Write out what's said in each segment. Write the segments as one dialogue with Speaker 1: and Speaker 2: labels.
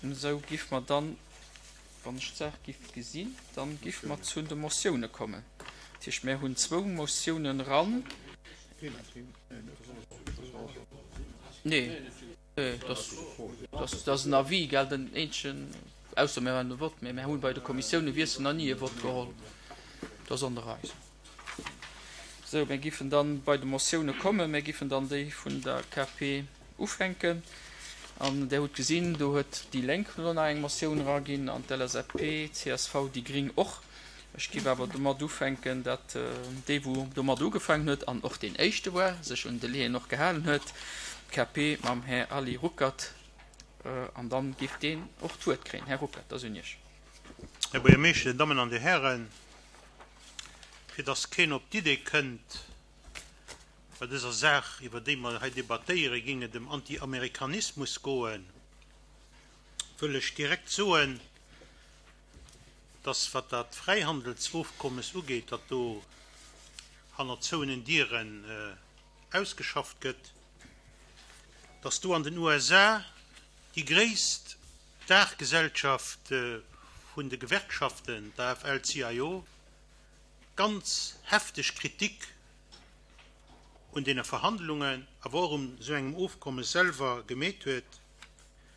Speaker 1: Esou giff mer dann, wann ech d'Saach giff gesinn, dann giff mer zu de Motioune kommen. Dat heescht, mär hunn zwou Motiounen eran. Nee, dat ass en Avis, gell, den eenzegen, ausser mir maachen e Vott, mä mär hu bei de Kommissioune-Wiessel nach ni e Vott geholl. Dat ass an der Rei. Sou, mir giffen dann bei de Motioune kommen. Mir giffen dann déi vun der KP ufänken. An Der hutt gesinn, do huet déi Lénk elo nach eng Motioun eraginn an d'LSAP, csv, déi Gring och. Ech giff awer domat ufänken, datt dee wou domat ugefaangen huet an och deen éischte war, sech un Délaiën och gehalen huet, d'KP mam Här Ali Ruckert. An dann giff deen och d'Wuert kréien. Här Ruckert, dat ass un Iech.
Speaker 2: Här Buergermeeschter, Dir Dammen an Dir Hären, fir dass keen op d'Idee kënnt, bei dëser Saach, iwwer déi mer hei debattéieren, géing et ëm Antiamerikanismus goen, wëll ech direkt soen, dass, wat dat Fräihandelsofkommes ugeet, dat do hanner zouenen Dieren ausgeschafft gëtt, dass do an den USA déi gréisst D'Daachgesellschaft vun de Gewerkschaften, d'AFL-CIO, ganz hefteg Kritik un deene Verhandlungen, awer och un esou engem Ofkommes selwer gemeet huet,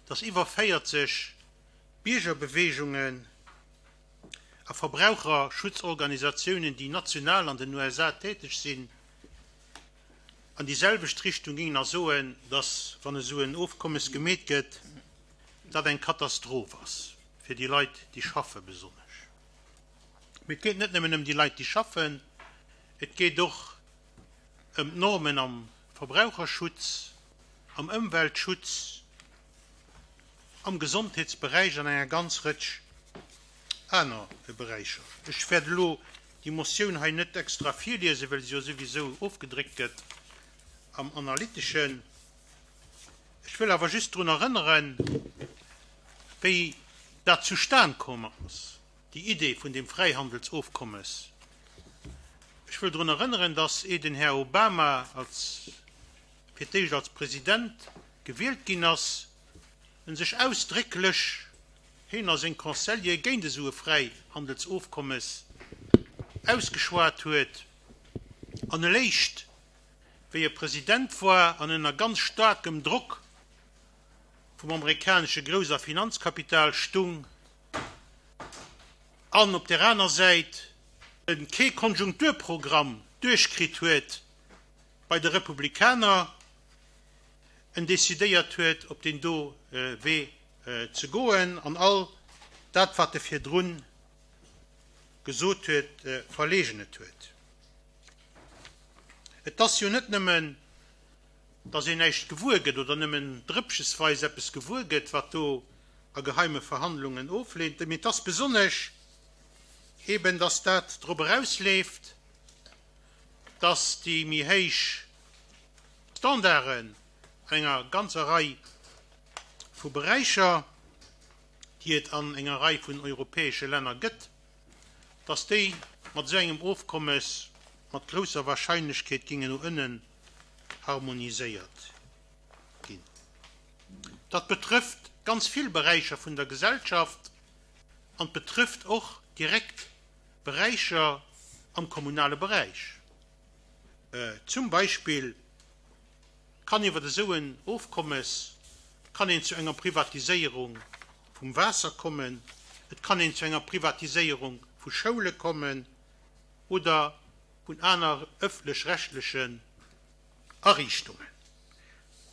Speaker 2: datt iwwer 40 Biergerbeweegungen a Verbraucherschutzorganisatiounen, déi national an den USA täteg sinn, an déi selwecht Richtung gingen a soen, datt, wann esou en Ofkommes gemeet gëtt, dat eng Katastroph ass, fir déi Leit, déi schaffen besonnesch. Mee et geet net nëmmen ëm déi Leit, déi schaffen, et geet och ëm d'Normen am Verbraucherschutz, am Ëmweltschutz, am Gesondheetsberäich an enger ganz Rëtsch aner Beräicher. Ech wäert elo déi Motioun hei net extra virliesen, well se jo souwisou ofgedréckt gëtt am Analyteschen. Ech wëll awer just drun erënneren, wéi dat zustan komm ass, déi Idee vun deem Fräihandelsofkommes. Ech wëll drun erënneren, dass, ehe den Här Obama als, fir d'éischt als President gewielt ginn ass, en sech ausdrécklech, hien a seng Conseillere, géint esou e Fräihandelsofkommes ausgeschwat huet an eléischt wéi e President war an ënner ganz staarkem Drock vum amerikanesche Grouss a Finanzkapital stung an op där aner Säit e kee Konjunkturprogramm duerchkritt huet bei de Republikaner, en decidéiert huet op deen do Wee ze goen an all dat wat e virdrun gesot huet, verleegnet huet. Et ass jo net nëmmen, datt een näischt gewuer gëtt oder nëmmen drëppchesweis eppes gewuer gëtt, wat do a geheime Verhandlungen ofleent, mee et ass besonnesch eben, datt dat drop erausleeft, datt déi méi héich Standarden an enger ganzer Rei vu Beräicher, déi et an enger Rei vun europäesche Länner gëtt, dass déi mat esou engem Ofkommes mat grousser Wahrscheinlechkeet gingen no ënnen harmoniséiert ginn. Dat betrëfft ganz vill Beräicher vun der Gesellschaft an betrëfft och direkt Beräicher am kommunale Beräich. Zum Beispill kann iwwer esou en Ofkommes kann een zu enger Privatiséierung vum Waasser kommen, et kann een zu enger Privatiséierung vu Schoule kommen oder vun aner ëffentlech-rechtlechen Ariichtungen.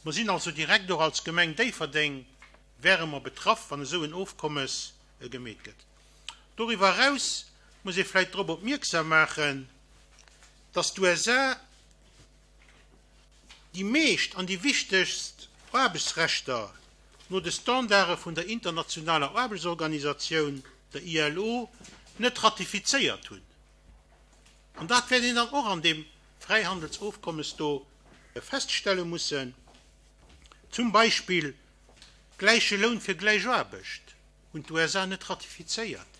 Speaker 2: Mer sinn also direkt och als Gemeng Déifferdeng wäre mer betraff, wann esou en Ofkommes gemeet gëtt. Doriwwer eraus muss ee vläicht drop opmierksam maachen, dass d'USA déi meescht an déi wichtegst Aarbechtsrechter no de Standarde vun der internationaler Aarbechtsorganisatioun, der ILO, net ratifizéiert hunn. An dat wäert een dann och an deem Fräihandelsofkommes do feststelle mussen, zum Beispill gläiche Loun fir gläich Aarbecht hunn d'USA net ratifizéiert,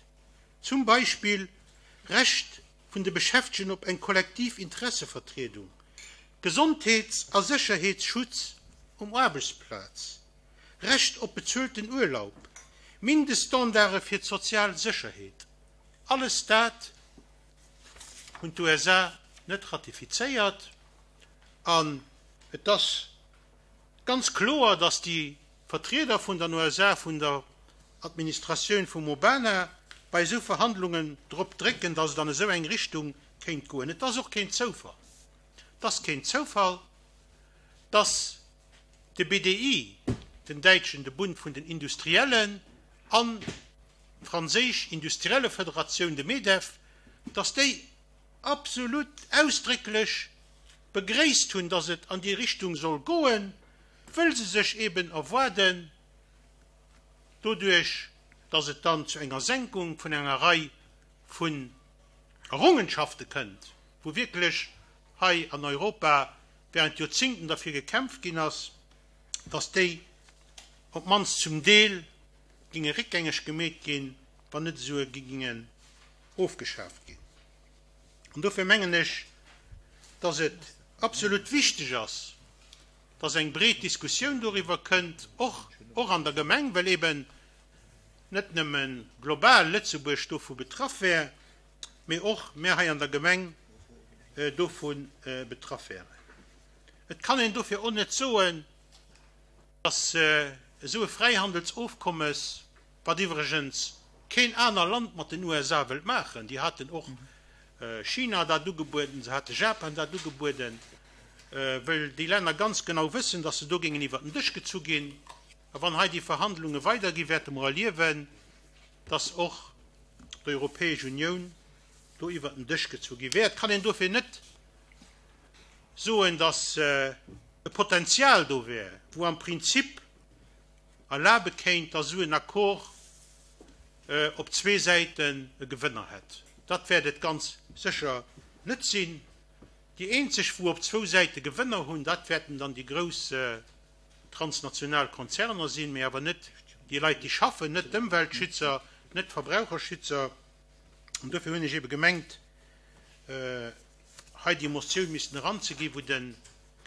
Speaker 2: zum Beispill Recht vun de Beschäftegten op eng kollektiv Interessevertriedung, Gesondheets a Sécherheetsschutz um Aarbechtsplaz, Recht op bezuelten Urlaub. Mindeststandarde fir d'sozial Sécherheet, alles dat hunn d'USA net ratifizéiert. An et ass ganz kloer, datt déi Vertrieder vun den USA, vun der Administratioun vum Obama bei esou Verhandlungen drop drécken, datt et an esou eng Richtung kéint goen. Et ass och keen Zoufall, et ass keen Zoufall, datt de BDI, den däitschen, de Bund vun den Industriellen, an d'franséisch Industriellefederatioun, de Medef, datt déi absolut ausdrécklech begréisst hunn, datt et an déi Richtung soll goen, wëll se sech eben erwaarden, doduerch datt et dann zu enger Senkung vun enger Rei vun Errungenschafte kënnt, wou wierklech hei an Europa während Joerzingten derfir gekämpft ginn ass, datt déi op d'mannst zum Deel ginge réckgängeg gemeet ginn, wann net esouguer gingen ofgeschaaft ginn. An dofir mengen ech, datt et absolut wichteg ass, datt eng breet Diskussioun doriwwer kënnt, och och an der Gemeng, well eben net nëmme global Lëtzebuerg dovu betraff wär, mee och mär hei an der Gemeng dovu betraff wären. Et kann een dofir och net soen, datt esou e Fräihandelsofkommes, wat iwwregens keen aner Land mat den USA wëllt maachen, déi haten och China dat ugebueden, se hate Japan dat ugebueden, wëll déi Länner ganz genau wëssen, datt se do géingen iwwert den Dësch gezu ginn. A wann hei déi Verhandlunge weiderginn, wäerte mer erliewen, datt och d'Europäesch Unioun do iwwert den Dësch gezu gi wäert. Kann een dofir net soen, datt e Potenzial do wär, wou am Prinzip erlabe kéint, datt esou en Accord op zwee Säiten e Gewënner hätt. Dat wäert et ganz sécher net sinn. Déi eenzeg, wou op zwou Säite Gewënner hunn, dat wäerten dann déi grouss transnational Konzerner sinn, mee awer net déi Leit, déi schaffen, net d'Ëmweltschützer, net d'Verbraucherschützer. An dofir hunn ech ebe gemengt, hei déi Motioun missten eranzeginn, wou de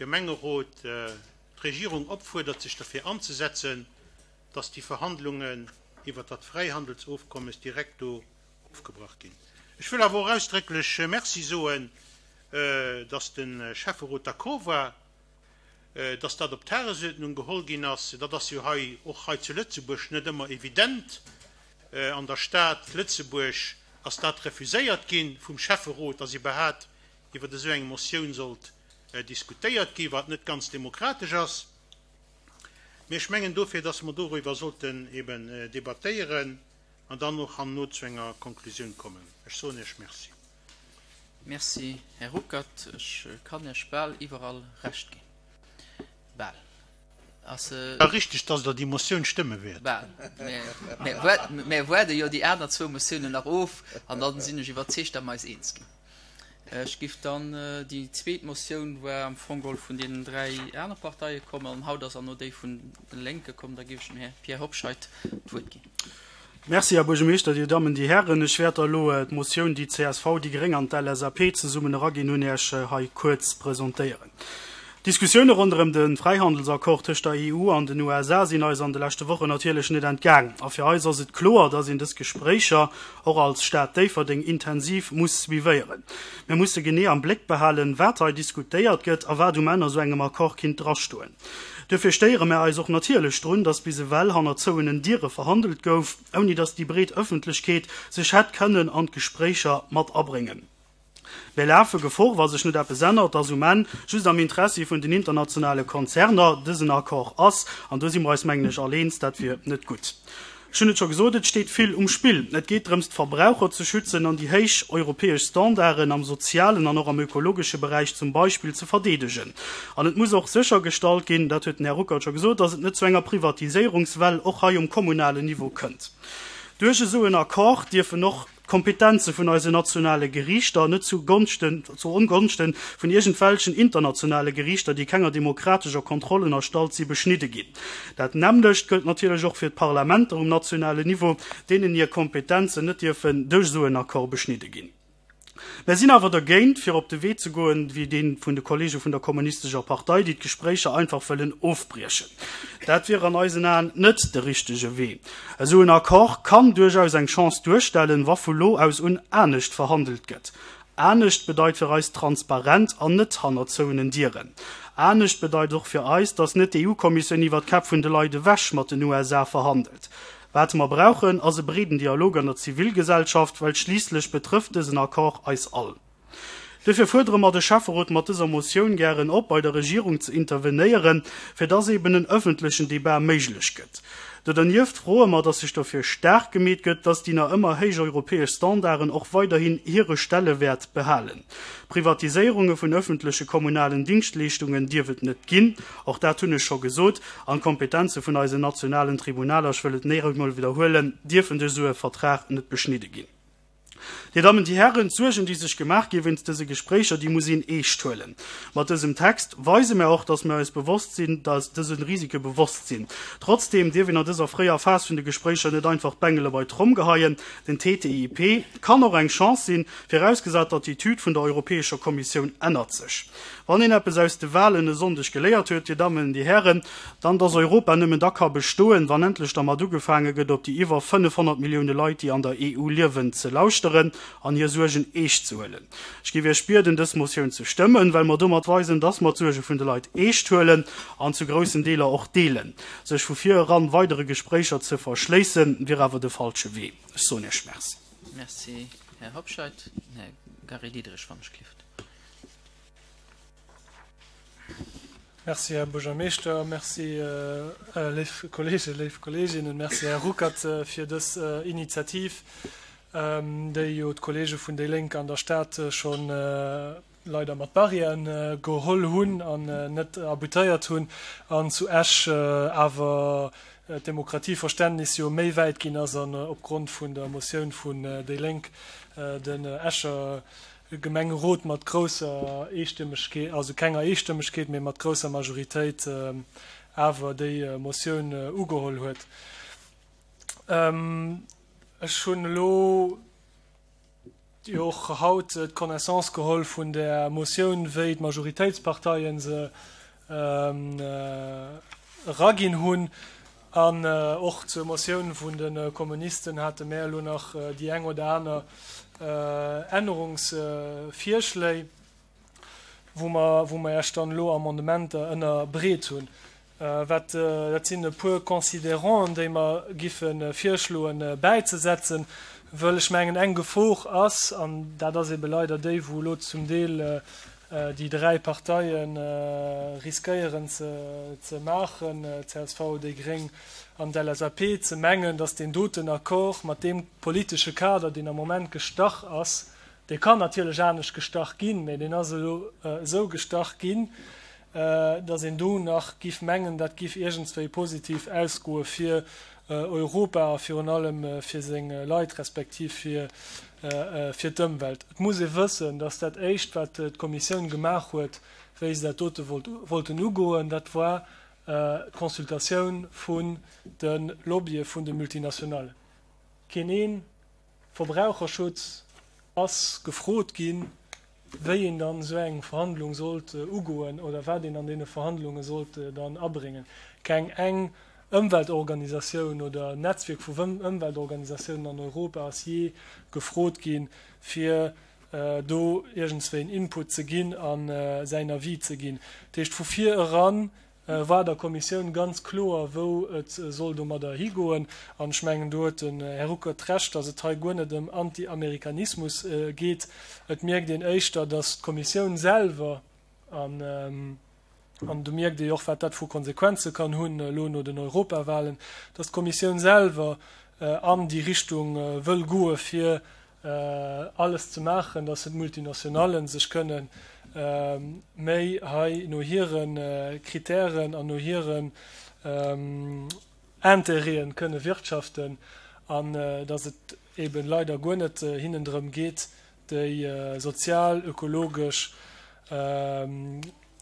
Speaker 2: Gemengerot d'Regierung opfuerdert, sech derfir anzesetzen, dass déi Verhandlungen iwwert dat Fräihandelsofkommes direkt do ofgebrach ginn. Ech wëll awer och ausdrécklech Merci soen, dass de Schäfferot d'accord war, dass dat op d'Tagesuerdnung geholl ginn ass. Dat ass jo hei, och hei zu Lëtzebuerg, net ëmmer evident. An der Stad Lëtzebuerg ass dat refuséiert gi vum Schäfferot, dass iwwerhat iwwer esou eng Motioun sollt diskutéiert ginn, wat net ganz demokratesch ass. Mee ech mengen dofir, dass mer doriwwer sollten eben debattéieren an dann och herno zu enger Konklusioun kommen. Ech soen Iech Merci.
Speaker 1: Merci, Här Ruckert. Ech kann Iech bal iwwerall Recht ginn. Bal.
Speaker 2: Ass. War richteg, dass Der déi Motioun stëmme wäert.
Speaker 1: Bal. Mä waarde jo déi aner zwou Motiounen nach of an da sinn ech iwwerzeegt, datt mer eis eens ginn. Ech giff dann, déi zweet Motioun war am Fong geholl vun deenen 3 aner Parteie komm an haut ass an no déi vun de Lénke komm. Da giff ech dem Här Pierre Hobscheit d'Wuert ginn.
Speaker 3: Merci, Här Buergermeeschter, Dir Dammen, Dir Hären. Ech wäert da elo d'Motioun, déi d'CSV, déi Gréng an d'LSAP zesummen eraginn hunn, Iech hei kuerz presentéieren. D'Diskussioune ronderëm de Fräihandelsaccord tëscht der EU an den USA sinn eis an de leschte Wochen natierlech net entgaang. A fir eis ass et kloer, dass een dës Gespréicher och als Stad Déifferdeng intensiv muss suivéieren. Mir musse genee am Bléck behalen, wat hei diskutéiert gëtt a wat um Enn a sou engem Accord kinnt drastoen. Duerfir stéiere mär eis och natierlech drun, dass bis ewell hanner zouenen Diere verhandelt gouf, ouni dass déi breet Ëffentlechkeet sech hätt kënnen an d'Gespréicher mat abréngen. Mir lafe Gefor, wa sech net eppes ännert, dass um Enn just am Interessi vun den internationale Konzerner dësen Accord ass. An do si mer eis, mengen ech, all eens, dat wier net gutt. Ech hunn et scho gesot, et steet vill um Spill. Et geet drëms, d'Verbraucher ze schützen an déi héich europäesch Standarden am sozialen an och am ökologesche Beräich zum Beispill ze verdeedegen. An et muss och séchergestallt ginn, dat huet den Här Ruckert scho gesot, dass et net zu enger Privatiséierungswell och hei um kommunalen Niveau kënnt. Duerch esou en Accord dierfen och d'Kompetenze vun eisen nationale Geriichter net zu Gonschten, zu Ongonschten vun iergendwelchen internationale Geriichter, déi kenger demokratescher Kontroll ënnerstallt si, beschnidde ginn. Dat nämmlecht gëllt natierlech och fir d'Parlamenter um nationalen Niveau, deenen hir Kompetenzen net dierfen duerch esou en Accord beschnidde ginn. Mär sinn awer dergéint, fir op de Wee ze goen, wéi dee vun de Kollege vun der Kommunistescher Partei, déi d'Gespréicher einfach wëllen ofbriechen. Dat wier an eisen Aen net de richtege Wee. Esou en Accord kann duerchaus eng Chance duerstellen, wa vu lo aus un anescht verhandelt gëtt. Anescht bedeit fir eis transparent an net hanner zouenen Dieren. Anescht bedeit och fir eis, datt net d'EU-Kommissioun iwwer d'Käpp vun de Leit ewech mat den USA verhandelt. Wat mer brauchen, ass e breeden Dialog an der Zivilgesellschaft, well schliisslech betrëfft dësen Accord eis all. Duerfir fuerdere mer de Schäfferot mat dëser Motioun gären op, bei der Regierung ze intervenéieren, fir dass eben en öffentlechen Débat méiglech gëtt. Do dernieft froe mer, dass sech dofir staark gemeet gëtt, dass déi nach ëmmer héich europäesch Standarden och weiderhin hire Stellewäert behalen. Privatiséierunge vun öffentleche kommunalen Dingschtleeschtungen dierf et net ginn, och dat hunn ech scho gesot, An d'Kompetenze vun eisen nationalen Tribunaler, ech wëll et nach eemol widderhuelen, dierfen duerch esou e Vertrag net beschnidde ginn. Dir Dammen, Dir Hären, d'Suergen, déi sech gemaach gi wéinst dëse Gespréicher, déi muss een eescht huelen. Mat dësem Text weise mär och, dass mär eis bewosst sinn, dass dëse Risike bewosst sinn. Trotzdeem dierf een an dëser fréier Phas vun de Gespréicher net einfach d'Bengele bei d'Tromm geheien. Den TTIP kann och eng Chance sinn, virausgesat d'Attitüd vun der Europäescher Kommissioun ännert sech. Wann een eppes aus de Wahlen e Sonndeg geléiert huet, Dir Dammen, Dir Hären, dann dass Europa nëmmen da ka bestoen, wann endlech dermat ugefaange gëtt, op déi iwwer 500 Millioune Leit, déi an der EU liewen, ze lauschteren an hir Suergen eescht ze huelen. Ech géif Iech bieden, dës Motioun ze stëmmen, well mer domat weisen, dass mer d'Suerge vun de Leit eescht huelen an zu groussen Deeler och deelen. Sech vu vir eran weidere Gespréicher ze verschléissen, wier awer de falsche Wee. Ech soen Iech Merci.
Speaker 1: Merci, Här Hobscheit. Den Här Gary Diderich, wann ech gelift.
Speaker 4: Merci, Här Buergermeeschter. Merci, léif Kolleegen, léif Kolleeginnen. Merci, Här Ruckert, fir dës Initiativ, déi jo d'Kolleege vun déi Lénk an der Stad scho leider mat Barrièren geholl hunn an net aboutéiert hunn an zu Esch awer d'Demokratieverständnis jo méi wäit ginn ass an opgrond vun der Motioun vun déi Lénk den Escher Gemengerot mat grousser Eestëmmegkeet, also kenger Eestëmmegkeet, mee mat grousser Majoritéit awer déi Motioun ugeholl huet. Ech hunn elo jo och haut d'Connaissance geholl vun där Motioun, wéi d'Majoritéitsparteien se eraginn hunn. An och zur Motioun vun de Kommunisten hate mär elo nach déi eng oder aner Ännerungsvirschléi, wou mer, wou mer Iech dann elo Amendementer ënnerbreet hunn. Wat, dat sinn e puer Considéranten, déi mer giffe virschloen bäizesetzen, wëll ech mengen, eng Gefor ass, an dat ass ebe leider déi, wou elo zum Deel déi 3 Parteie riskéieren ze maachen, csv, déi gréng an d'LSAP, ze mengen, datt deen doten Accord mat deem politesche Kader, deen am Moment gestach ass, dee kann natierlech anescht gestach ginn, mä deen ass elo esou gestach ginn, datt een do nach giff mengen, dat giff iergendswéi positiv ausgoe fir Europa a virun allem fir seng Leit respektiv fir fir d'Ëmwelt. Et muss ee wëssen, datt dat Éischt, wat d'Kommissioun gemaach huet, wéi se dat dote wollt wollten ugoen, dat war d'Consultatioun vun de Lobbye vun de Multinationallen. Keen ee Verbraucherschutz ass gefrot ginn, wéi een dann esou eng Verhandlung sollt ugoen oder wat een an deene Verhandlunge sollt dann abréngen. Keng eng Ëmweltorganisatioun oder Netzwierk vu Ëmweltorganisatiounen an Europa ass jee gefrot ginn, fir do iergendswéi en Input ze ginn a säin Avis ze ginn. Dat heescht, vu vir eran war der Kommissioun ganz kloer, wou et soll domadder higoen. An ech mengen, do huet den Här Ruckert Recht, datt et hei guer net ëm Anti-Amerikanismus geet. Et mierkt een éischter, datt d'Kommissioun selwer, an do mierkt ee jo och, wat dat vu Konsequenze kann hunn elo no den Europawahlen, datt d'Kommissioun selwer an déi Richtung wëll goe fir alles ze maachen, dass d'Multinationallen sech kënnen méi hei no hire Kritären an no hiren Intérêten kënne wirtschaften an dass et eben leider guer net hinnen drëm geet, déi sozial, ökologesch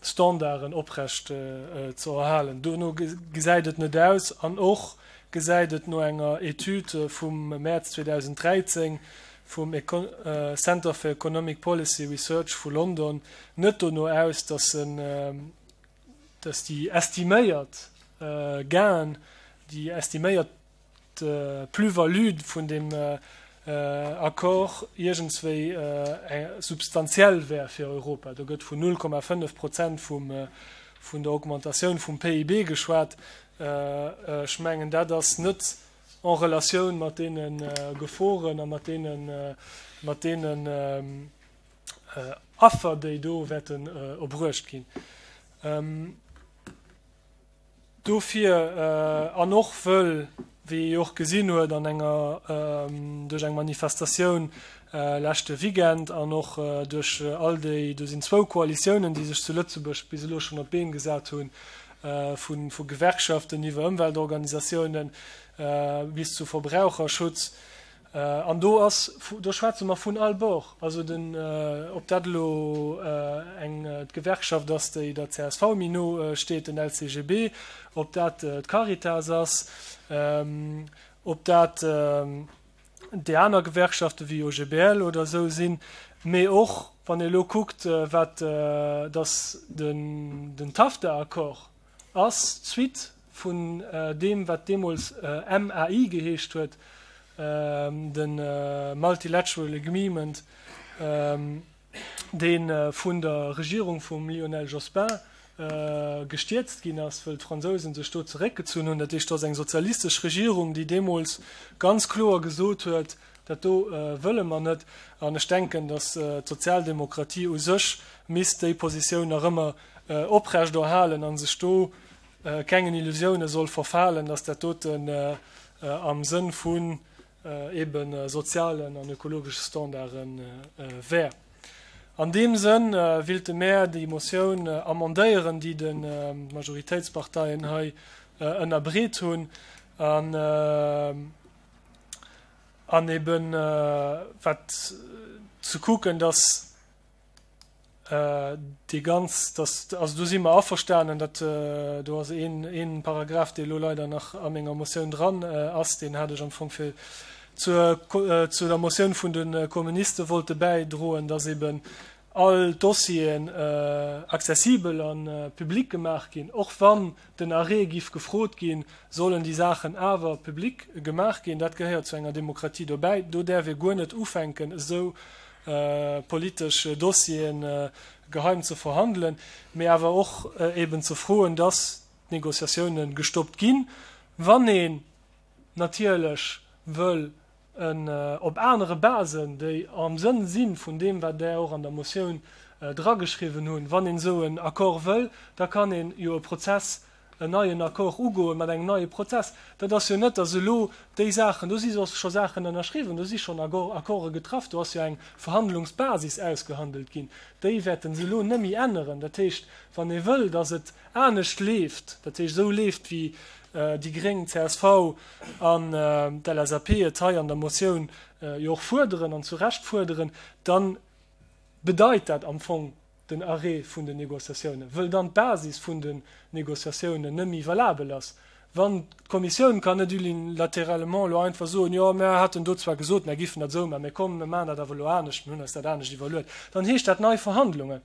Speaker 4: Standarden oprecht ze erhalen. Dono gesäit et net aus an och gesäit et no enger Etüd vum Mäerz 2013. vum Center for Economic Policy Research vu London net dono aus, dass en, dass déi estiméiert Gainen, déi estiméiert Plus-value vun deem Accord iergendswéi substantiell wär fir Europa. Do gëtt vun 0,5 Prozent vun der Augmentatioun vum PIB geschwat. Ech mengen, dat ass net en Relatioun mat deene Geforen a mat deene, mat deenen Affer, déi do wäerten erbruecht ginn. Dofir, an och wëll, wéi ee jo och gesinn huet an enger, duerch eng Manifestatioun leschte Weekend an och duerch all déi, do sinn zwou Koalitiounen, déi sech zu Lëtzebuerg bis elo schonn op d'Been gesat hunn, vu Gewerkschaften iwwer Ëmweltorganisatiounen bis zu Verbraucherschutz, An do ass, do schwätze mer vun all Bord, also den, ob dat elo eng d'Gewerkschaft ass, déi der csv méi no steet, den LCGB, ob dat d'Caritas ass, ob dat déi aner Gewerkschafte wéi OGBL oder esou sinn, mee och wann ee elo kuckt, wat, datt den TAFTA-Accord ass d'Suite vun deem, wat deemools MAI geheescht huet, de Multilateral Agreement, dee vun der Regierung vum Lionel Jospin gestierzt ginn ass, wëll d'Fransousen sech do zeréckgezunn hunn. Dat heescht, do ass eng sozialistesch Regierung, déi deemools ganz kloer gesot huet, Dat do wëlle mer net. An ech denken, datt d'Sozialdemokratie u sech misst déi Positioun nach ëmmer oprechterhalen a sech do kengen Illusioune soll verfalen, datt dat doten am Sënn vun ebe sozialen an ökologesche Standarde wär. An deem Sënn willte mär déi Motioun amendéieren, déi d'Majoritéitsparteien hei ënnerbreet hunn. An eben wat ze kucken, dass déi ganz, dass, also do si mer averstanen, dat do ass een, een Paragraph, dee elo leider nach a menger Motioun dran ass, deen hat ech am Fong fir zur, zu der Motioun vun de Kommuniste wollte bäidroen, dass eben all d'Dossieren accessibel a public gemaach ginn, och wann den Arrêt giff gefrot ginn, sollen déi Saachen awer public gemaach ginn. Dat gehéiert zu enger Demokratie dobäi. Do däerf ee guer net ufänken, esou politesch Dossieren geheim ze verhandelen, mee awer och eben ze froen, dass d'Négociatiounen gestoppt ginn, wann een natierlech wëll en op anere Basen, déi am Sënn si vun deem, wat Der och an der Motioun drageschriwwen hunn, wann een esou en Accord wëll, da kann een jo e Prozess, en neien Accord ugoen mat engem neie Prozess. Dat ass jo net, datt elo déi Saachen, do si scho Saachen ënnerschriwwen, do si schonn Accorde getraff, do ass jo eng Verhandlungsbasis ausgehandelt ginn, déi wäerte se elo net méi änneren. Dat heescht, wann ee wëll, datt et anescht leeft, dat heescht esou leeft, wéi déi gréng, csv an d'LSAP et hei an der Motioun jo och fuerderen an zu Recht fuerderen, da bedeit dat am Fong den Arrêt vun den Négociatiounen, wëll dann d'Basis vun den Négociatiounen net méi valabel ass. Wann d'Kommissioun kann net unilatéralement elo einfach soen, jo mär haten do zwar gesot, mär giffen dat esou maachen, mä komm, mir maachen dat awer elo anescht, mir hunn eis dat anescht iwwerluet, dann heescht dat nei Verhandlungen.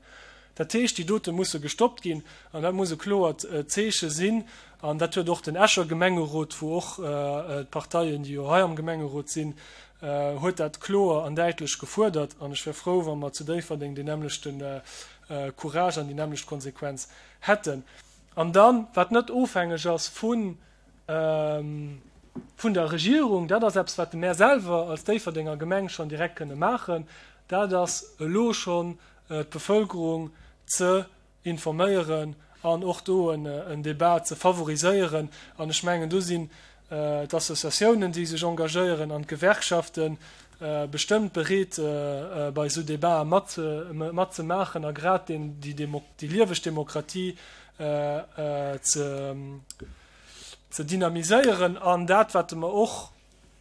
Speaker 4: Dat heescht, déi dote musse gestoppt ginn an dat muss e kloert Zeeche sinn. An dat huet och den Escher Gemengerot, wou och d'Parteien, déi jo hei am Gemengerot sinn, huet dat kloer an däitlech gefuerdert. An ech wär frou, wa mer zu Déifferdeng deen nämmlechte Courage an déi nämmlecht Konsequenz hätten. An dann, wat net ofhängeg ass vun vun der Regierung, dat ass eppes, wat mär selwer als Déifferdenger Gemeng schonn direkt kënne maachen, dat ass elo schonn d'Bevölkerung ze informéieren an och do en Débat ze favoriséieren. An ech mengen, do sinn d'Associatiounen, déi sech engagéieren, an d'Gewerkschafte bestëmmt bereet, bei esou Débatë matzemaachen a grad déi lieweg Demokratie ze dynamiséieren. An dat, wat mer och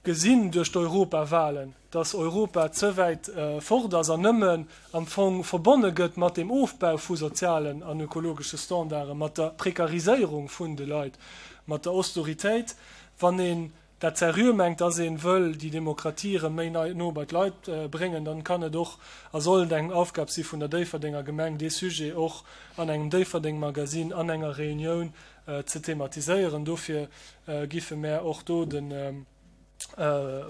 Speaker 4: gesinn duerch d'Europawahlen, dass Europa ze wäit fort ass an nëmmen am Fong verbonne gëtt mat dem Ofbau vu sozialen an ökologesche Standarden, mat der Prekariséierung vun de Leit, mat der Austeritéit. Wann een. dat seriö mengt, dass ee wëll déi Demokratie erëm méi no bei d'Leit bréngen, dann kann et och a soll et eng Aufgab si vun der Déifferdenger Gemeng, dee Sujet och an engem Déifferdeng-Magazine, an enger Reunioun ze thematiséieren. Dofir giffe mär och do de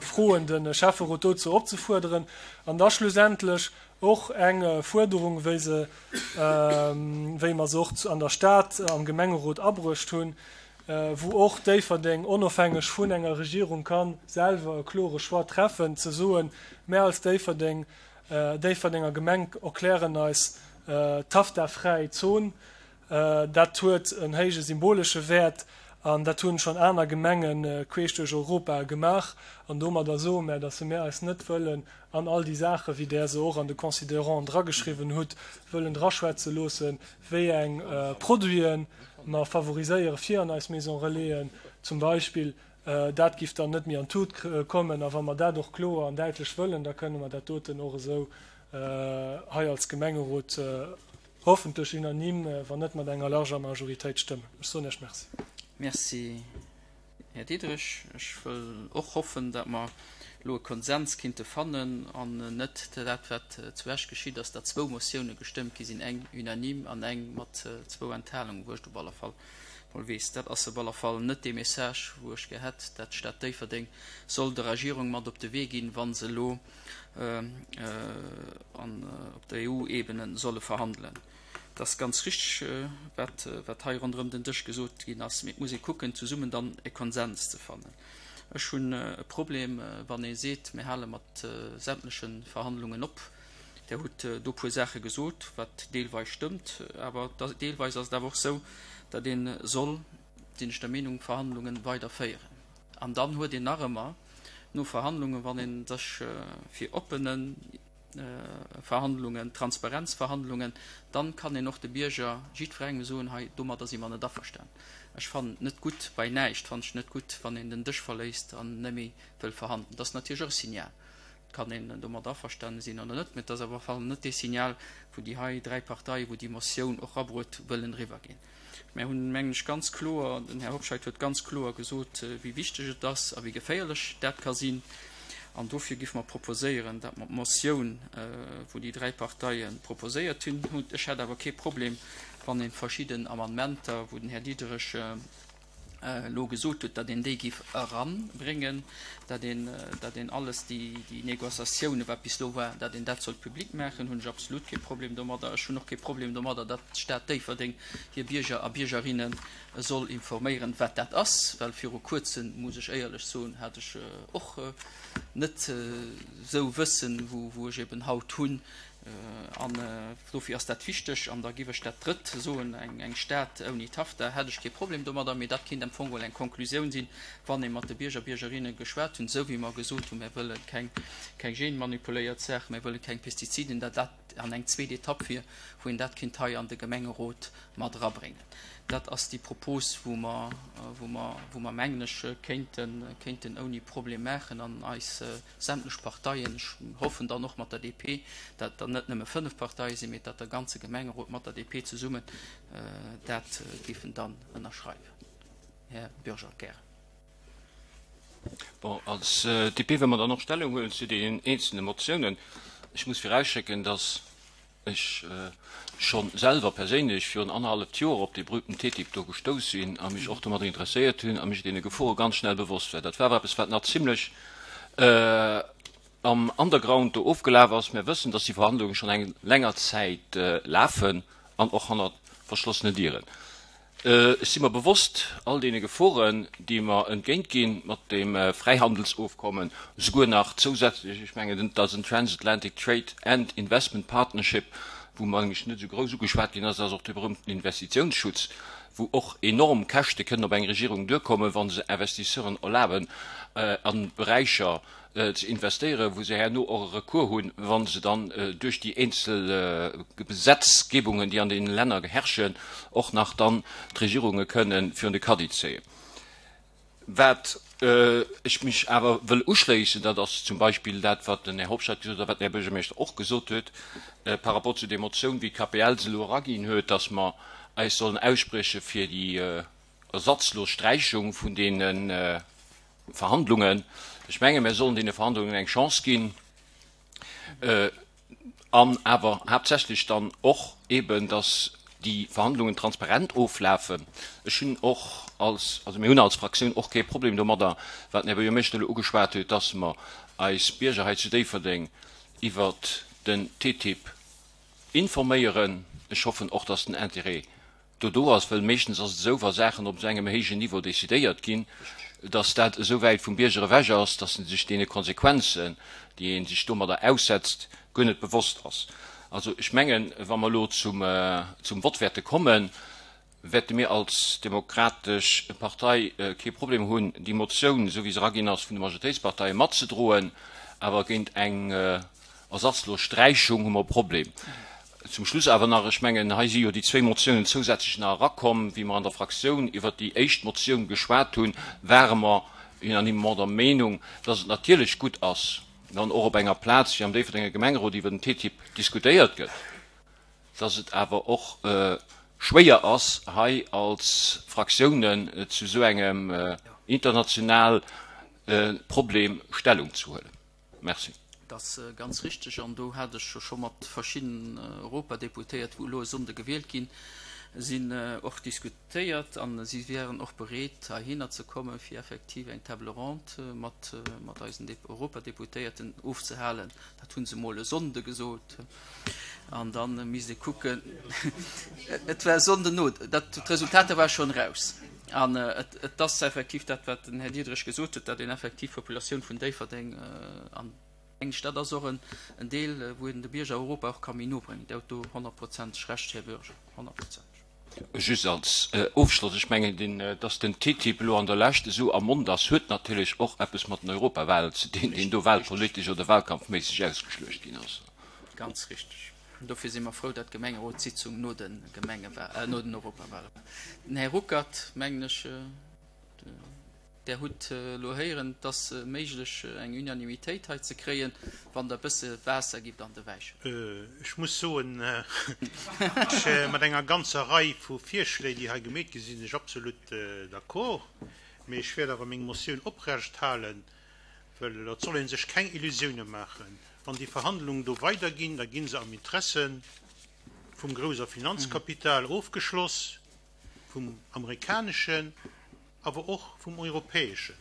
Speaker 4: froen, de Schäfferot dozou opzefuerderen. An da schlussendlech och eng Fuerderung, wéi se, wéi mer se och an der Stad am Gemengerot abruecht hunn, wou och Déifferdeng onofhängeg vun enger Regierung ka selwer e klore Choix treffen, ze soen, Mär als Déifferdeng, Déifferdenger Gemeng erklären eis TAFTA-fräi Zon. Dat huet en héije symbolesche Wäert an dat hunn schonn aner Gemenge queesch duerch Europa gemaach. An domadder soe mär, datt mär eis net wëllen an all déi Saachen, wéi Der se och an de Considéranten drageschriwwen hutt, wëllen draschwätze loossen, wéi eng Produiten mer favoriséiere fir an eis Maison Relaisen zum Beispill. Dat giff dann net méi an d'Tut kommen. A wa mer dat och kloer an däitlech wëllen, da kënne mer dat doten och esou hei als Gemengerot hoffentlech unanime, wann net mat enger larger Majoritéit stëmmen. Ech soen Iech Merci.
Speaker 1: Merci, Här Diderich. Ech wëll och hoffen, datt mer elo e Konsens kinnte fannen an net dat, wat zu Esch geschitt ass, datt zwou Motioune gestëmmt gi sinn, eng unanime an eng mat zwou Enthalungen, wou ech op alle Fall mol weess, dat ass op alle Fall net dee Message, wou ech gär hätt, dat d'Stad Déifferdeng soll der Regierung mat op de Wee ginn, wa se elo an op der EU-Ebene solle verhandelen. Et ass ganz richteg, wat, wat hei ronderëm den Dësch gesot ginn ass, mee et muss ee kucken, zesummen dann e Konsens ze fannen. Ech hunn e Problem, wann ee seet, mir hale mat sämtleche Verhandlungen op. Der hutt do e puer Saache gesot, wat deelweis stëmmt, awer deelweis ass et awer och esou, datt ee soll, sinn ech der Meenung, Verhandlungen weiderféieren. An dann huet een nach ëmmer no Verhandlungen, wann ee sech fir oppene Verhandlungen, Transparenzverhandlungen, dann kann een och de Bierger, jiddwerengem soen, hei domadder si mer net averstanen. Ech fannen et net gutt, bei näischt fannen ech et net gutt, wann een den Dësch verléisst an net méi wëll verhandelen. Dat ass natierlech och e Signal. Et kann een domadder averstane sinn oder net, mä et ass awer op alle Fall net dee Signal, wou déi hei dräi Parteien, wou déi Motioun och rabruet, wëllen eriwwerginn. Mär hunn, mengen ech, ganz kloer, den Här Hobscheit huet ganz kloer gesot, wéi wichteg et ass a wéi geféierlech dat ka sinn. An dofir géife mer proposéieren, datt mer d'Motioun, wou déi dräi Parteie proposéiert hunn, ech hätt awer kee Problem, wann ee verschidden Amendementer, wou den Här Diderich elo gesot huet, datt een déi géif eranbréngen, datt een, datt een alles déi, déi Négociatiounen, wat bis elo war, datt een dat sollt public maachen, hunn ech absolut kee Problem domadder. Ech hunn och kee Problem domadder, datt d'Stad Déifferdeng hir Bierger a Biergerinne soll informéieren, wat dat ass, well viru Kuerzem, muss ech éierlech soen, hat ech och net esou Wëssen, wou, wou ech eben haut hunn, An dofir ass dat wichteg. An da giff ech dat Drëtt soen, eng Stad ouni TAFTA hätt ech kee Problem domadder, mee dat kéint am Fong geholl eng Konklusioun sinn, wann ee mat de Bierger, Biergerinne geschwat hunn, esou wéi mer gesot hunn, mir wëlle keng genmanipuléiert Saachen, mir wëlle keng Pestiziden, datt dat an eng zweet Etapp wier, wou een dat kéint hei an de Gemengerot mat erabréngen. Dat ass déi Propos, wou mer, wou mer, wou mer, mengen ech, kéinten, kéinten ouni Problem maachen an eis sämtlech Parteien, ech hoffen dann och mat der DP, dat der net nëmme 5 Parteie sinn, mee dat der ganze Gemengerot mat der DP zesummen dat géifen dann ënnerschreiwen. Här Bürger, gären.
Speaker 5: Bon, als DP wëlle mer dann och Stellung huelen zu deenen eenzelne Motiounen. Ech muss virausschécken, dass ech scho selwer perséinlech virun annerhalleft Joer op dee berühmten TTIP do gestouss sinn a mech och domadder interesséiert hunn a mech deene Gefore ganz schnell bewosst war. Dat war awer eppes, wat nach zimlech am Underground do ofgelaf ass. Mir wëssen, dass déi Verhandlunge schonn eng länger Zäit lafen an och hannert verschlossenen Dieren. Ech si mer bewosst all deene Geforen, déi mer entgéint ginn mat deem Fräihandelsofkommen, souguer nach zousätzlech, ech mengen, et ass en Transatlantic Trade and Investment Partnership, wou mengen ech net esou grouss ugeschwat ginn ass, ass och de berühmten Investitiounsschutz, wou och enorm Käschte kënnen op eng Regierung duerkommen, wa se Investisseuren erlaben, a Beräicher ze investéieren, wou se herno och e Recours hunn, wa se dann duerch déi eenzel Gesetzgebungen, déi an deene Länner herrschen, och nach dann d'Regierunge kënnen virun de Caddie zéien. Wat ech mech awer wëll uschléissen, dat ass zum Beispill dat, wat den Här Hobscheit gesot huet a wat den Här Buergermeeschter och gesot huet par rapport zu där Motioun, wéi d'KPL se elo eraginn huet, dass mer eis sollen aussprieche fir déi ersatzlos Sträichung vun deenen. Verhandlungen. Ech menge mir sollen deene Verhandlungen eng Chance ginn an awer haaptsächlech dann och eeben, datt déi Verhandlungen transparent oflafen. Ech hunn och als, also mir hunn als Fraktioun och kee Problem domadder, wat den Här Buergermeeschter elo ugeschwat huet, datt mer eis Bierger hei zu Déifferdeng iwwert den TTIP informéieren. Ech hoffen och, datt den Intérêt do do ass, well meeschtens ass et esou, wa Saachen op esou engem héijen Niveau décidéiert ginn, dass dat esou wäit vum Bierger ewech ass, dass en sech deene Konsequenzen, déi ee sech domadder aussetzt, guer net bewosst ass. Also ech mengen, wa mer elo zum zum Vott wäerte kommen, wäerte mir als Demokratesch Partei kee Problem hunn, déi Motioun, esou wéi se eraginn ass, vun de Majoritéitsparteie matzedroen, awer géint eng ersatzlos Sträichung hu mer e Problem. Zum Schluss awer nach, ech mengen, hei si jo déi zwéi Motiounen zousätzlech nach erakomm. Wéi mer an der Fraktioun iwwert déi éischt Motioun geschwat hunn, ware mer unanimement der Meenung, dass et natierlech gutt ass, wann och op enger Plaz wéi am Déifferdenger Gemengerot iwwer den TTIP diskutéiert gëtt, dass et awer och schwéier ass, hei als Fraktiounen zu esou engem international Problem Stellung ze huelen. Merci.
Speaker 1: Dat ass ganz richteg an do hat ech jo scho mat verschiddenen Europadeputéiert, wou elo e Sonnde gewielt ginn sinn, och diskutéiert a si wären och bereet heihinner ze kommen, fir effektiv eng Table ronde mat mat eisen Europadeputéierten ofzehalen. Dat hu se emol e Sonnde gesot an da misst ee kucken. Et war e Sonnden no, dat d'Resultater ware schonn eraus. An et ass effektiv dat, wat den Här Diederich gesot huet, datt een effektiv d'Populatioun vun Déifferdeng an eng Stad ass och en Deel, wou een de Bierger Europa och ka méi no bréngen. Dir hutt do honnertprozenteg Recht, Här Bürger, honnertprozenteg.
Speaker 5: Just als Ofschloss, Ech mengen, datt den TTIP elo an der Lescht esou am Mond ass, huet natierlech och eppes mat den Europawahlen ze dinn, deen do wahlpolitesch oder wahlkampfméisseg ausgeschluecht ginn ass.
Speaker 1: Ganz richteg. An dofir si mer frou, datt d'Gemengerotssitzung no de Gemenge-, no den Europawale war. Den Här Ruckert, mengen ech, Der hutt elo héieren, et ass méiglech, eng Unanimitéit hei ze kréien, wann Der e bësse Waasser gitt an de Wäi
Speaker 2: schëdden. Ech muss soen, ech, mat enger ganzer Rei vu Virschléi, déi hei gemeet gi sinn, sinn ech absolut d'accord. Mee ech wäert awer meng Motioun oprecht halen, well et soll ee sech keng Illusioune maachen. Wann déi Verhandlungen do weiderginn, da gi se am Interesse vum grouser Finanzkapital ofgeschloss, vum amerikaneschen, awer och vum europäeschen.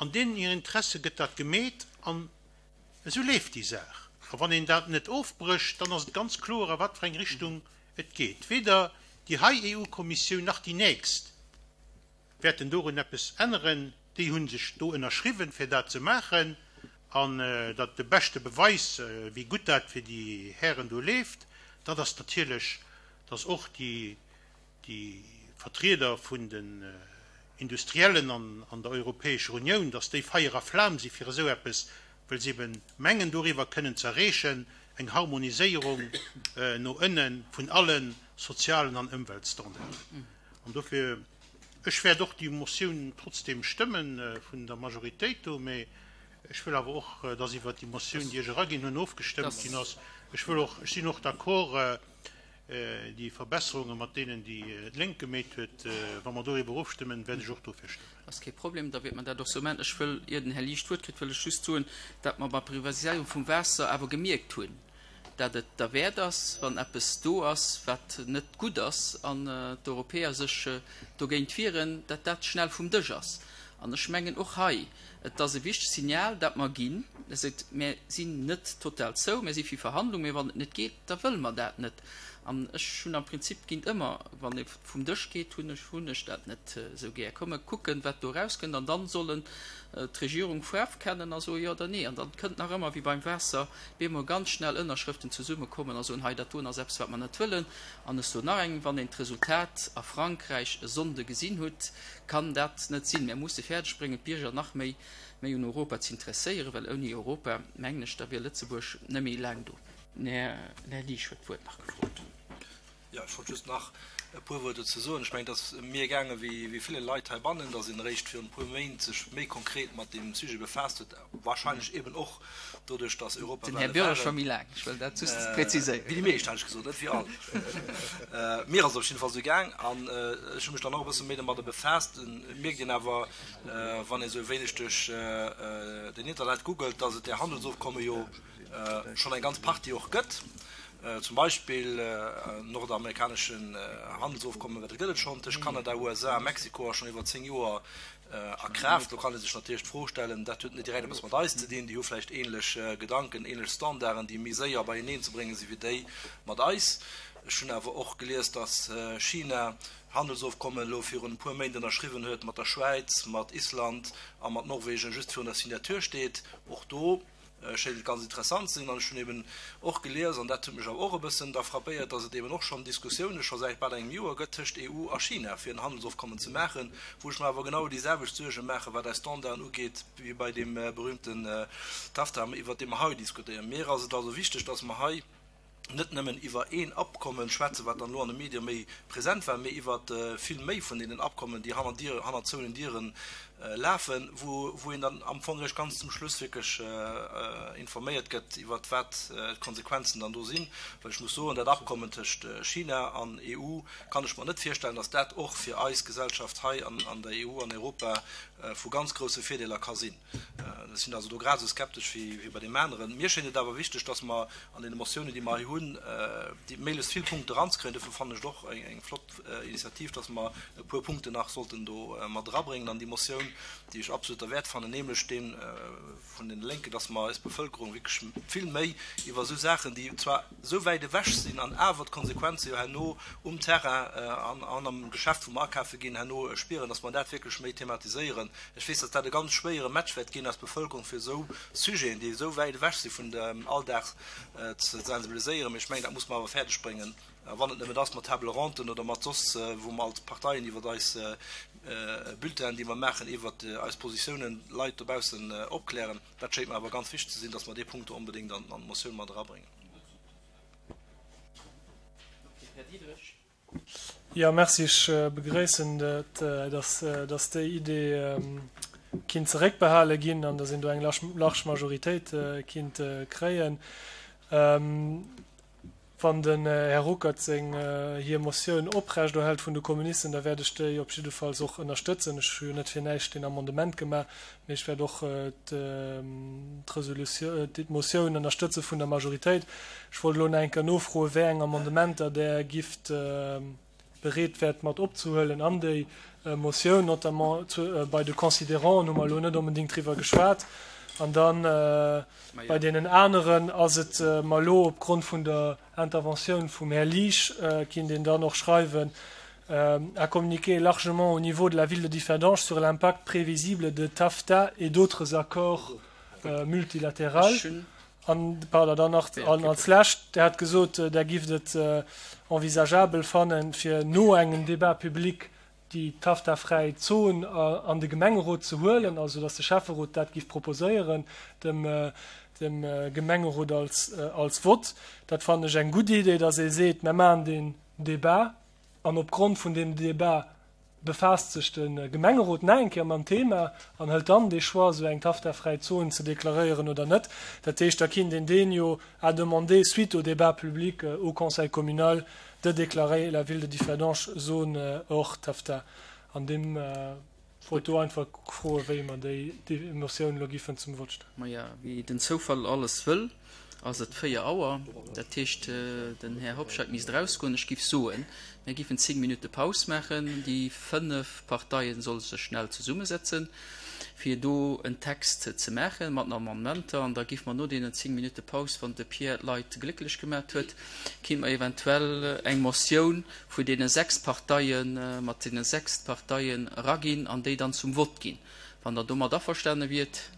Speaker 2: An deenen hir Interesse gëtt dat gemeet an esou leeft déi Saach. A wann een dat net ofbrécht, dann ass et ganz kloer, a wat fir eng Richtung et geet. Weder déi hei EU-Kommissioun nach déi nächst wäerten dorun eppes änneren. Déi hu sech do ënnerschriwwen, fir dat ze maachen. An dat de beschte Beweis, wéi gutt dat fir déi Hären do leeft, dat ass natierlech, dass och déi Vertrieder vun den Industriellen an der Europäescher Unioun, dass déi Feier a Flam si fir esou eppes, well se eben mengen, doriwwer kënnen ze erreechen, eng Harmoniséierung no ënne vun alle sozialen an Ëmweltstandarden. An dofir, ech wäert och déi Motioun trotzdem stëmmen vun der Majoritéit do, mä ech wëll awer och, dass iwwert déi Motioun, déi ech eraginn hunn, ofgestëmmt ginn ass. Ech wëll och, ech sinn och d'accord, déi Verbesserunge mat deenen, déi d'Lénk gemeet huet, wa mer doriwwer ofstëmmen, wäert ech och dofir stëmmen.
Speaker 1: Ass kee Problem, da wäert mer dat och sou maachen. Ech wëll, ier den Här Liesch d'Wuert kritt, wëll ech just soen, dat mer bei Privatiséierung vum Waasser awer gemierkt hunn, dat et derwäert ass, wann eppes do ass, wat net gutt ass, an d'Europäer sech dogéint wieren, dat dat schnell vum Dësch ass. An ech mengen och hei, et ass e wichtegt Signal, dat mer ginn, dat seet, Mär sinn net total zou, mär si fir Verhandlung, mä wann et net geet, da wëlle mer dat net. An ech hunn am Prinzip géint ëmmer, wann ee vum Dësch geet, hunn ech hunn ech dat net esou gär. Komm mer kucken, wat do erauskënnt, an dann sollen d'Regierung Faarf kennen a soe jo oder nee. An dann kënnt nach ëmmer, wéi beim Waasser, bemol ganz schnell Ënnerschrëften zesummekommen a soen, hei dat doen ass eppes, wat mer net wëllen. An ech soen nach eng, Wann een d'Resultat a Frankräich e Sonnde gesinn hutt, kann dat net sinn. Mir musse fäerdeg bréngen, d'Bierger nach méi méi un Europa z'interesséieren, well ouni Europa, mengen ech, da wier Lëtzebuerg net méi laang do. Den Här Liesch huet d'Wuert nach gefrot.
Speaker 6: Jo, ech wollt just nach e puer Wuert dozou soen. Ech mengen, et ass mir gaange wéi ville Leit heibannen, datt een eréischt virun e puer Méint sech méi konkret mat deem Sujet befaasst huet, wahrscheinlech eben och doduerch, datt
Speaker 1: Den Här
Speaker 6: Europawale
Speaker 1: Bürger scho
Speaker 6: waren.
Speaker 1: méi laang, ech wëll dat just präziséieren.
Speaker 6: Wéi déi meescht, hat ech gesot, net wéi all. Mir ass et op jidde Fall esou gaang an ech hu mech dann och e bësse méi domadder befaasst. Et mierkt een awer, wann ee sou e wéineg duerch den Internet googelt, datt et där Handelsofkomme jo schonn eng ganz Partie och gëtt. Zum Beispill en nordamerikaneschen Handelsofkommen, dat gëtt et schonn tëscht Kanada, USA a Mexiko a schonn iwwer 10 Joer a Kraaft. Do kann ee sech natierlech d'Fro stellen, dat huet net direkt eppes mat eis ze dinn, déi hu vläicht ähnlech Gedanken, ähnlech Standarden, déi méi séier beieneen ze brénge si wéi déi mat eis. Ech hunn awer och gelies, datt China Handelsofkommen elo virun e puer Méint ënnerschriwwen huet mat der Schwäiz, mat Island a mat Norwegen, just virun der Signature steet. Och do schéint et ganz interessant ze sinn. An ech hunn eben och gelies, an dat huet mech awer och e bëssen da frappéiert, dass et eben och schonn Diskussioune scho säit bal engem Joer gëtt tëscht EU a China, fir en Handelsofkommen ze maachen, wou ech mer awer genau déi selwecht Suerge maachen, wat eis Standarden ugeet, wéi bei deem berühmten TAFTA, iwwert dee mer hei diskutéieren. Mir ass et also wichteg, dass mer hei, net nëmmen iwwer een Abkommen schwätzen, wat dann elo an de Medie méi present war, mee iwwer vill méi vun deenen Abkommen, déi hanner Dier, hanner zouenen Dieren lafen, wou, wou een dann am Fong eréischt ganz zum Schluss wierklech informéiert gëtt iwwer wat d'Konsequenzen dann do sinn. Well ech muss soen, dat Abkommen tëscht China an EU kann ech mer net virstellen, dass dat och fir eis Gesellschaft hei an, an der EU, an Europa vu ganz grousse Virdeeler ka sinn. Ech sinn also do grad esou skeptesch wéi bei deem aneren. Mir schéint et awer wichteg, dass mer an deene Motiounen, déi mer hei hunn, déi méiglechst vill Punkte eranzekréien. Dofir fannen ech et och eng flott Initiativ, dass mer e puer Punkten nach sollten do mat erabréngen an déi Motioun, déi ech absolut derwäert fannen, nämlech dee vun deene Lénken, dass mer eis Bevëlkerung wierklech vill méi iwwer esou Saachen, déi zwar esou wäit ewech sinn an awer d'Konsequenze jo herno um Terrain an am Geschäft, wou mer akafe ginn, herno spieren, dass mer dat wierklech méi thematiséieren. Ech weess, dass dat e ganz schwéiere Match wäert ginn, eis Bevëlkerung fir esou Sujeten, déi esou wäit ewech si vun dem Alldag, ze sensibiliséieren. Mee ech mengen, dat muss mer awer fäerdeg bréngen, a wann et nëmmen ass mat Table-ronden oder mat soss, wou mer als Parteien iwwer eis Bulletinen, déi mer maachen, iwwer eis Positiounen d'Leit dobaussen opklären. Dat schéngt mer awer ganz wichteg ze sinn, dass mer dee Punkt do onbedéngt an d'Motioun mat erabréngen.
Speaker 1: Här Diderich.
Speaker 4: Jo, merci. Ech begréissen et, dass déi Idee kinnt zeréckbehale ginn an dass een do eng large Majoritéit kinnt kréien. Wann den Här Ruckert seng hir Motioun oprechterhält vun de Kommunisten, da wäert ech déi op jiddefalls och ënnerstëtzen. Ech hu jo net fir näischt deen Amendement gemaach, mee ech wäert och d'Resolutioun, d'Motioun ënnerstëtze vun der Majoritéit. Ech wollt elo nach eng Kéier nofroen, wéi eng Amendementer Der gifft bereet wäert mat opzehuelen an déi Motioun. Notamment bei de Considéranten hu mer elo net onbedéngt driwwer geschwat. An da bei deenen aneren ass et mer elo opgrond vun der Interventioun vum Här Liesch, kinnt een dann och schreiwen, a communiqué largement au niveau de la ville de Differdange sur l'impact prévisible de TAFTA et d'autres accords multilatéraux. An, pardon, dann nach an als Lescht, Der hat gesot, Der gifft et envisageabel fannen, fir no engem Débat public déi TAFTA-fräi Zon an de Gemengerot ze huelen, also datt de Schäfferot dat giff proposéieren dem dem Gemengerot als als Vott. Dat fannen ech eng gutt Idee, datt ee seet, mer maachen deen Débat an opgrond vun deem Débat befaasst sech de Gemengerot nach eng Kéier mam Thema an hëlt dann dee Choix, esou eng TAFTA-fräi Zon ze deklaréieren oder net. Dat heescht, da kinnt een deen jo à demander suite au débat public au Conseil communal de déclarer la ville de Differdange zone hors TAFTA. An deem wollt do einfach froen, wéi mer déi Motioun elo giffen zum Vott stellen.
Speaker 1: Maja, wéi den Zoufall alles wëll, ass et 4 Auer. Dat heescht, den Här Hobscheit misst erausgoen. Ech giff soen, mir giffen 10 Minutte Paus maachen. Déi 5 Parteien solle sech schnell zesummesetzen, fir do en Text ze maachen mat den Amendementer. An da giffe mer no deenen 10 Minutte Paus, wann de Pierre d'Leit glécklech gemat huet, kinnt mer eventuell eng Motioun vun deene 6 Parteien, mat deene 6 Parteien eraginn an déi dann zum Vott ginn. Wann Der domat averstane wiert.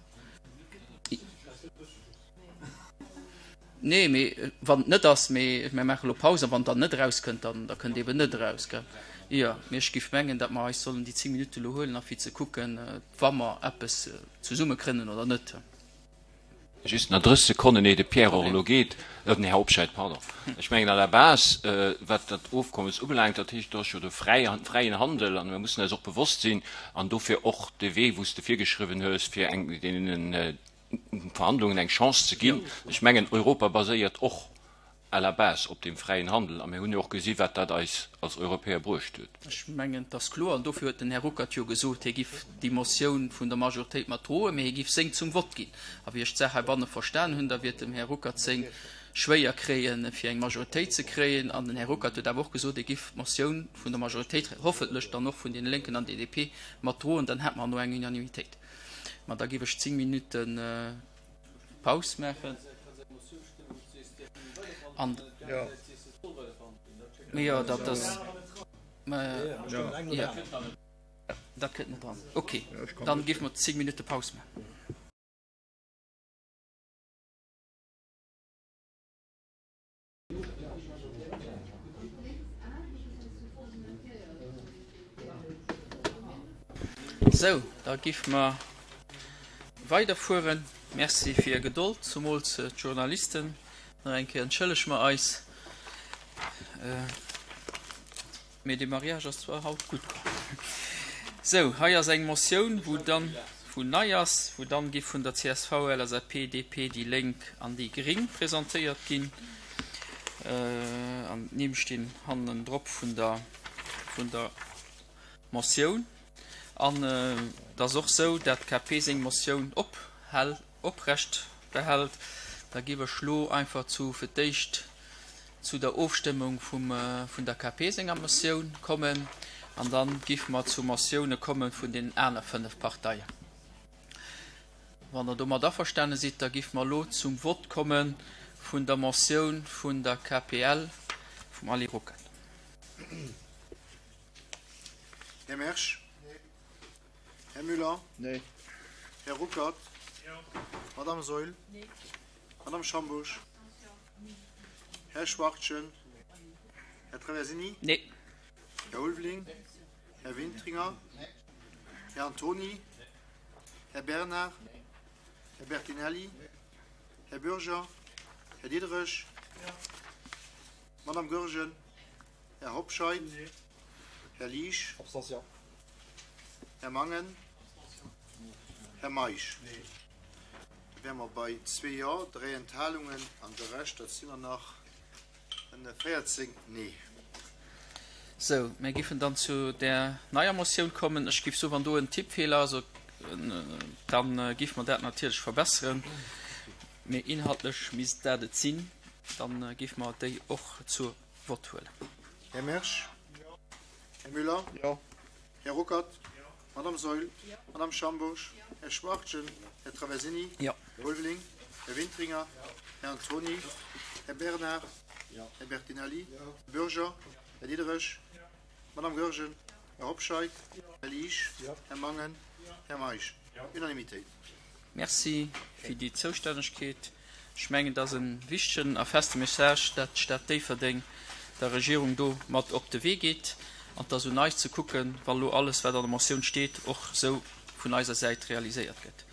Speaker 1: Nee, mee wann et net ass, mee mir maache lo Paus, a wann dann net erauskënnt, dann da kënnt eben net eraus, gell? Jo, mee ech géif mengen, datt mer eis sollen déi 10 Minutte lo huelen a fir ze kucken, wa mer eppes zesummekrénnen oder net.
Speaker 5: Just nach 30 Sekonnen, éier de Pierre och elo geet, den Här Hobscheit, pardon. Ech mengen à la base, wat dat Ofkommes ubelaangt, dat heescht, do ass jo de fräien Handel, an mir mussen eis och bewosst sinn, an dofir och de Wee, wou s de virgeschriwwen hues, fir eng deenen Verhandlungen eng Chance ze ginn. Ech mengen, Europa baséiert och à la base op deem fräien Handel, a mir hunn jo och gesi wat dat eis als Europäer bruecht huet.
Speaker 1: Ech mengen, et ass kloer, an dofir huet den Här Ruckert jo gesot, hie giff déi Motioun vun der Majoritéit mat droen, mä hie giff seng zum Vott ginn. A wéi ech d'Saach heibanne verstan hunn, da wiert dem Här Ruckert seng schwéier kréien, fir eng Majoritéit ze kréien. An den Här Ruckert huet awer och gesot, hie giff d'Motioun vun der Majoritéit, hoffentlech dann och vun deene Lénken an DP, mat droen. Dann hätt mer herno eng Unanimitéit. Mä da giff ech 10 Minutten Paus maachen. An jo, dat ass, jo, dat kënnt net dran. Okay, dann géife mer 10 Minutte Paus maachen. Sou, da giff mer weiderfueren. Merci fir Är Gedold, zumools d'Journalisten. Nach eng Kéier entschëllege mer eis. Mee de Mariage ass zwar haut gutt komm. Sou, hei ass eng Motioun, wou dann, wou nei ass, wou dann giff vun der csv, LSAP, DP, déi Lénk an déi Gring presentéiert ginn. An d'Nimm stinn hannendrop vun der, vun der Motioun. An et ass och sou, dat d'KP seng Motioun ophält, oprecht behält. Da giff ech lo einfach zu, fir d'éischt zu der Ofstëmmung vum, vun der KP senger Motioun kommen an dann giffe mer zu Motioune komme vun deenen aner 5 Parteien. Wann Der domat averstane sidd, da giffe mer elo zum Vott komme vun der Motioun vun der KPL vum Ali Ruckert.
Speaker 7: Här Mersch? Här Müller?
Speaker 8: Nee.
Speaker 7: Här Ruckert?
Speaker 8: Jo.
Speaker 7: Madame Saeul?
Speaker 9: Nee.
Speaker 7: Madame Schambusch? Här Schwachtgen? Här Traversini?
Speaker 1: Nee.
Speaker 7: Här Ulveling? Här Wintringer? Här Antoni? Här Bernard? Här Bertinelli? Här Bürger? Här Diderich? Madame Goergen? Här Hobscheit? Här Liesch?
Speaker 8: Abstention.
Speaker 7: Här Mangen? Här Meisch? Da wäre mer bei zwee Jo, dräi Enthalungen an de Rescht, dat sinn der nach 14 Nee.
Speaker 1: Sou, mir giffen dann zu där neier Motioun kommen. Ech giff soen, wann do en Tippfeeler ass, da giffe mer dat natierlech verbesseren. Mee inhaltlech misst dat et sinn. Da giffe mer déi och zur Vott huelen.
Speaker 7: Här Mersch? Här Müller?
Speaker 8: Jo.
Speaker 7: Här Ruckert? Madame Saeul? Madame Schambourg? Här Schwachtgen? Här Traversini?
Speaker 1: Jo.
Speaker 7: Här Ulveling? Här Wintringer? Här Antoni? Här Bernard? Här Bertinelli? Här Bürger? Här Diderich? Madame Goergen? Här Hobscheit? Här Liesch? Här Mangen? Här Meisch? Unanimitéit.
Speaker 1: Merci fir déi Zoustännegkeet. Ech mengen, et ass e wichtegen a feste Message, dat d'Stad Déifferdeng der Regierung do mat op de Wee geet. An et ass un eis ze kucken, wa lo alles, wat an der Motioun steet, och esou vun eiser Säit realiséiert gëtt.